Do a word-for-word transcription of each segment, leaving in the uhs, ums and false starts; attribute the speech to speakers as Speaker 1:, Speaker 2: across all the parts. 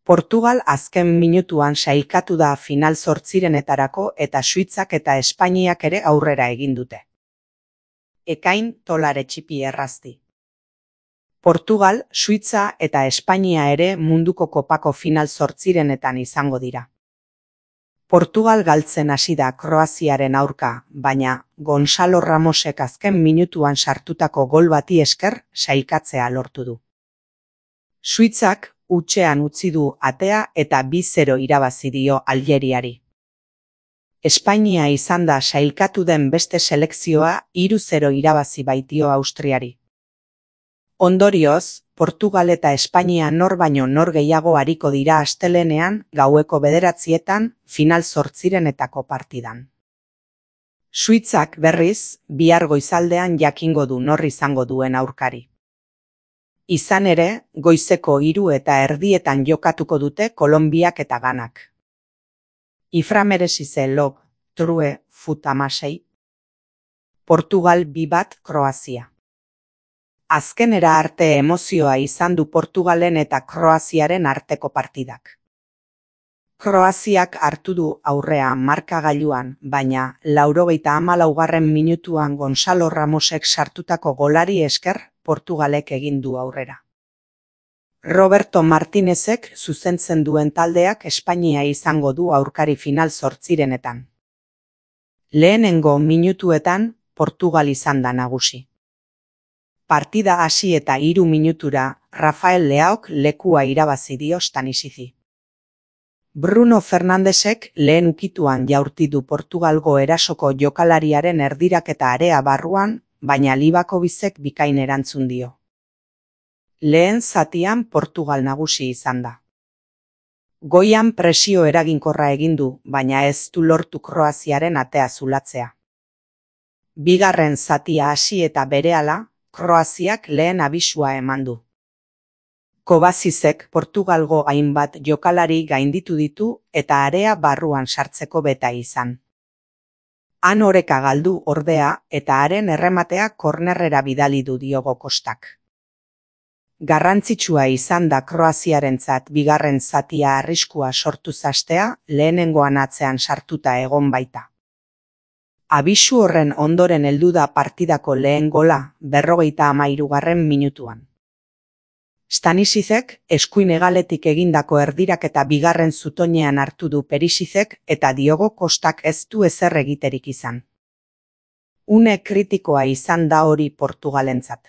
Speaker 1: Portugal azken minutuan sailkatu da final zortzirenetarako eta Suitzak eta Espainiak ere aurrera egin dute. Ekain tolare txipi errazti. Portugal, Suitza eta Espainia ere munduko kopako final zortzirenetan izango dira. Portugal galtzen hasi da Kroaziaren aurka, baina Gonzalo Ramosek azken minutuan sartutako gol bati esker sailkatzea lortu du. Suitzak hutsean utzi du atea eta bi zero irabazi dio Aljeriari. Espainia izan da sailkatu den beste selekzioa hiru zero irabazi baitio Austriari. Ondorioz, Portugal eta Espainia nor baino nor gehiago ariko dira astelehenean gaueko bederatzietan final zortzirenetako partidan. Suitzak berriz, bihar goizaldean jakingo du nor izango duen aurkari. Izan ere, goizeko hiru eta erdietan jokatuko dute Kolonbiak eta Ganak. Iframeresize log, true, fut amasei. Portugal bi bat Kroazia. Azkenera arte emozioa izan du Portugalen eta Kroaziaren arteko partidak. Kroaziak hartu du aurrea markagailuan, baina laurogeita hamalaugarren minutuan Gonzalo Ramosek sartutako golari esker Portugalek egin du aurrera. Roberto Martinezek zuzentzen duen taldeak Espainia izango du aurkari final zortzirenetan. Lehenengo minutuetan Portugal izan da nagusi. Partida hasi eta hiru minutura Rafael Leaok lekua irabazi dio Stanisizi. Bruno Fernandesek lehen ukituan jaurti du Portugalgo erasoko jokalariaren erdiraketa area barruan, baina Libakobizek bikain erantzun dio. Lehen zatian Portugal nagusi izan da. Goian presio eraginkorra egin du, baina ez du lortu Kroaziaren atea zulatzea. Bigarren zatia hasi eta berehala, Kroaziak lehen abisua eman du. Kovacicek Portugalgo hainbat jokalari gainditu ditu eta area barruan sartzeko beta izan. Han oreka galdu ordea eta haren errematea kornerrera bidali du Diogo Kostak. Garrantzitsua izan da Kroaziarentzat bigarren zatia arriskua sortu zastea lehenengoan atzean sartuta egon baita. Abisu horren ondoren heldu da partidako lehen gola berrogeita hamairugarren minutuan. Stanisicek eskuin hegaletik egindako erdiraketa bigarren zutoinean hartu du Perisicek eta Diogo Kostak ez du ezer egiterik izan. Une kritikoa izan da hori Portugalentzat.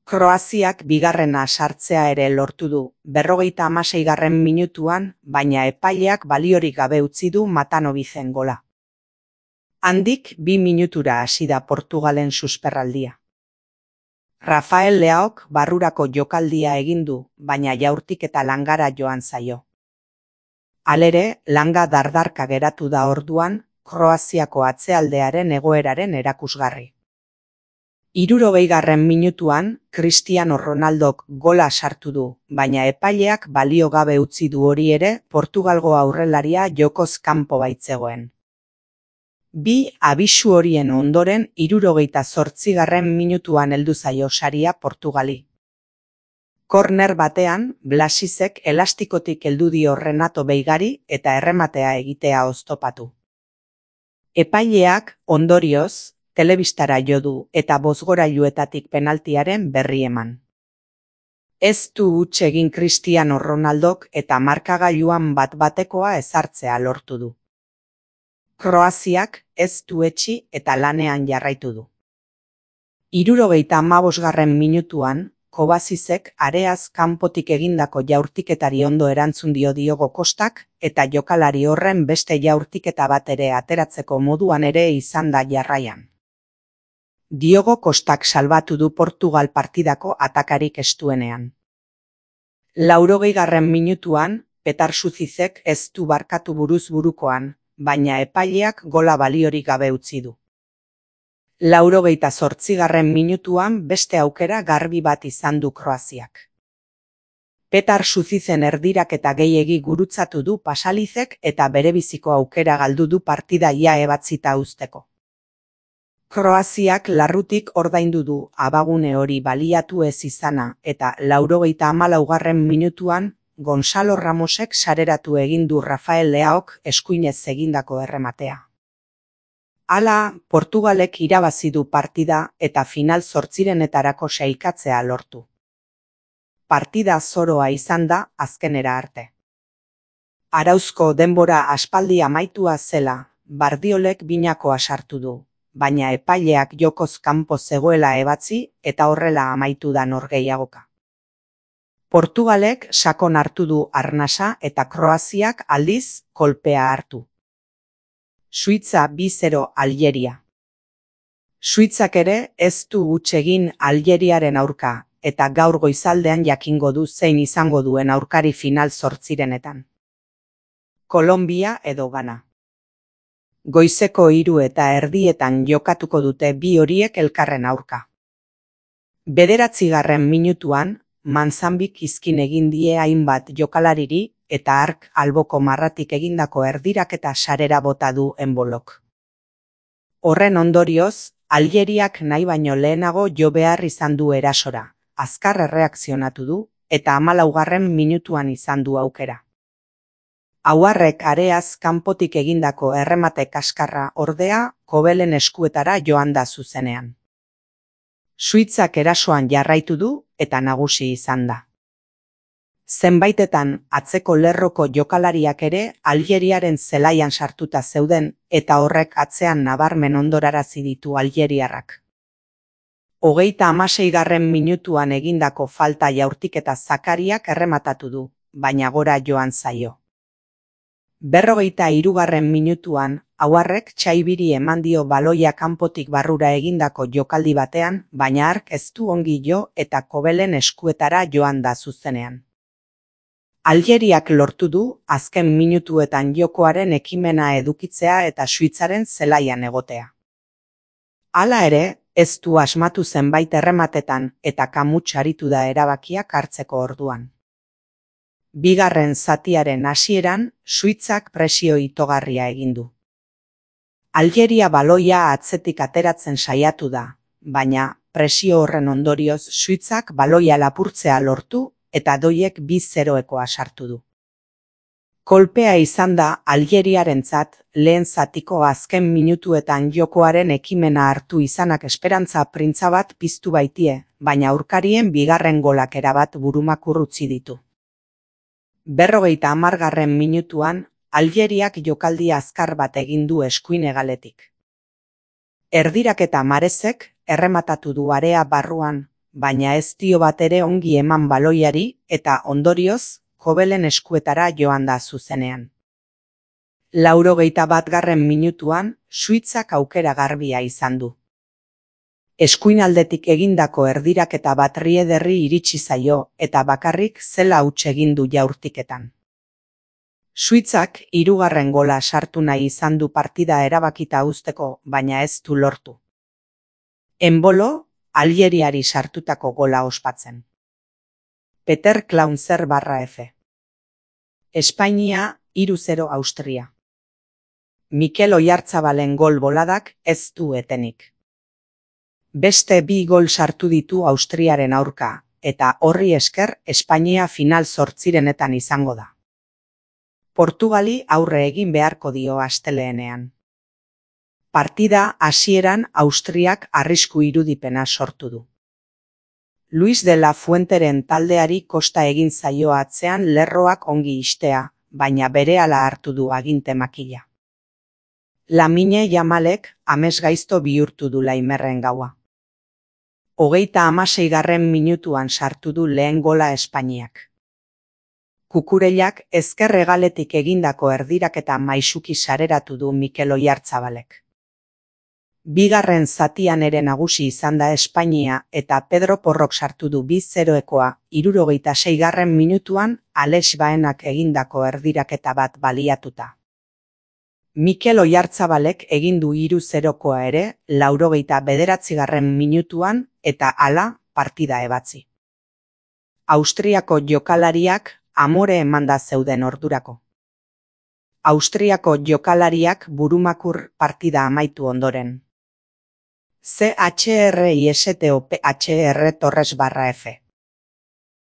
Speaker 1: Kroaziak bigarrena sartzea ere lortu du, berrogeita hamaseigarren minutuan, baina epaileak baliorik gabe utzi du Matanovizen gola. Handik bi minutura hasi da Portugalen susperraldia. Rafael Leaok barrurako jokaldia egin du, baina jaurtik eta langara joan zaio. Halere, langa dardarka geratu da orduan, Kroaziako atzealdearen egoeraren erakusgarri. Hirurogeigarren minutuan, Cristiano Ronaldok gola sartu du, baina epaileak balio gabe utzi du hori ere Portugalgo aurrelaria jokoz kanpo baitzegoen. Bi abisu horien ondoren hirurogeita zortzigarren minutuan heldu zaio saria Portugali. Korner batean, Blasicek elastikotik heldu dio Renato Beigari eta errematea egitea oztopatu. Epaileak, ondorioz, telebistara jo du eta bozgorailuetatik penaltiaren berri eman. Ez du huts egin Cristiano Ronaldok eta markagailuan bat-batekoa ezartzea lortu du. Kroaziak ez du etsi eta lanean jarraitu du. Hirurogeita hamabosgarren minutuan, Kovacicek areaz kanpotik egindako jaurtiketari ondo erantzun dio Diogo Kostak eta jokalari horren beste jaurtiketa bat ere ateratzeko moduan ere izan da jarraian. Diogo Kostak salbatu du Portugal partidako atakarik estuenean. Laurogeigarren minutuan, Petar Sucicek ez du barkatu buruz burukoan, baina epaileak gola baliorik gabe utzi du. Laurogeita zortzigarren minutuan beste aukera garbi bat izan du Kroaziak. Petar Sucizen erdiraketa gehiegi gurutzatu du Pasalizek eta berebiziko aukera galdu du partida ia ebatzita uzteko. Kroaziak larrutik ordaindu du abagune hori baliatu ez izana eta laurogeita hamalaugarren minutuan Gonzalo Ramosek sareratu egin du Rafael Leaok eskuinez egindako errematea. Hala, Portugalek irabazi du partida eta final zortzirenetarako sailkatzea lortu. Partida zoroa izan da azkenera arte. Arauzko denbora aspaldi amaitua zela, Bardiolek binakoa sartu du, baina epaileak jokoz kanpo zegoela ebatzi eta horrela amaitu da norgehiagoka. Portugalek sakon hartu du arnasa eta Kroaziak aldiz kolpea hartu. Suitza bi zero Algeria. Suitzak ere ez du huts egin Algeriaren aurka, eta gaur goizaldean jakingo du zein izango duen aurkari final zortzirenetan. Kolombia edo Gana. Goizeko hiru eta erdietan jokatuko dute bi horiek elkarren aurka. Bederatzigarren minutuan, Manzambik izkin egin die hainbat jokalariri eta ark alboko marratik egindako erdiraketa sarera bota du enbolok. Horren ondorioz, Algeriak nahi baino lehenago jo behar izan du erasora, azkar erreakzionatu du eta hamalaugarren minutuan izan du aukera. Ahuarrek areaz kanpotik egindako erremate kaskarra ordea Kobelen eskuetara joan da zuzenean. Suitzak erasoan jarraitu du eta nagusi izan da. Zenbaitetan atzeko lerroko jokalariak ere Algeriaren zelaian sartuta zeuden eta horrek atzean nabarmen ondorarazi ditu algeriarrak. Hogeita hamaseigarren minutuan egindako falta jaurtiketa Zakariak errematatu du, baina gora joan zaio. Berrogeita hirugarren minutuan, Ahuarrek Txaibiri eman dio baloia kanpotik barrura egindako jokaldi batean, baina ark ez du ongi jo eta Kobelen eskuetara joan da zuzenean. Algeriak lortu du azken minutuetan jokoaren ekimena edukitzea eta Suitzaren zelaian egotea. Hala ere, ez du asmatu zenbait errematetan eta kamuts aritu da erabakiak hartzeko orduan. Bigarren zatiaren hasieran, Suitzak presio itogarria egin du. Algeria baloia atzetik ateratzen saiatu da, baina presio horren ondorioz Suitzak baloia lapurtzea lortu eta doiek bi zeroekoa sartu du. Kolpea izan da Algeriarentzat lehen zatiko azken minutuetan jokoaren ekimena hartu izanak esperantza printza bat piztu baitie, baina aurkarien bigarren golak erabat burumakur utzi ditu. Berrogeita hamargarren minutuan, Algeriak jokaldi azkar bat egin du eskuin hegaletik. Erdiraketa Marezek errematatu du area barruan, baina ez dio bat ere ongi eman baloiari eta ondorioz, Kobelen eskuetara joan da zuzenean. Laurogeita batgarren minutuan, Suitzak aukera garbia izan du. Eskuinaldetik egindako erdiraketa bat Riederri iritsi zaio eta bakarrik zela huts egin du jaurtiketan. Suitzak hirugarren gola sartu nahi izan du partida erabakita uzteko, baina ez du lortu. Enbolo, Algeriari sartutako gola ospatzen. Peter Klaunzer barra F. Espainia, hiru zero Austria. Mikel Oyarzabalen gol boladak ez du etenik. Beste bi gol sartu ditu Austriaren aurka, eta horri esker Espainia final zortzirenetan izango da. Portugali aurre egin beharko dio asteleenean. Partida hasieran Austriak arrisku irudipena sortu du. Luis de la Fuenteren taldeari kosta egin zaio atzean lerroak ongi istea, baina berehala hartu du aginte makila. Lamine Yamalek amesgaizto bihurtu du Laimerren gaua. Hogeita hamaseigarren minutuan sartu du lehen gola Espainiak. Kukurellak ezker hegaletik egindako erdiraketa maisuki sareratu du Mikel Oyarzabalek. Bigarren zatian ere nagusi izan da Espainia eta Pedro Porrok sartu du bi zeroekoa hirurogeita seigarren minutuan Alex Baenak egindako erdiraketa bat baliatuta. Mikel Oyarzabalek egin du hiru zerokoa ere laurogeita bederatzigarren minutuan eta hala partida ebatzi. Austriako jokalariak amore emanda zeuden ordurako. Austriako jokalariak burumakur partida amaitu ondoren. C H R I S T O P H R Torres barra F.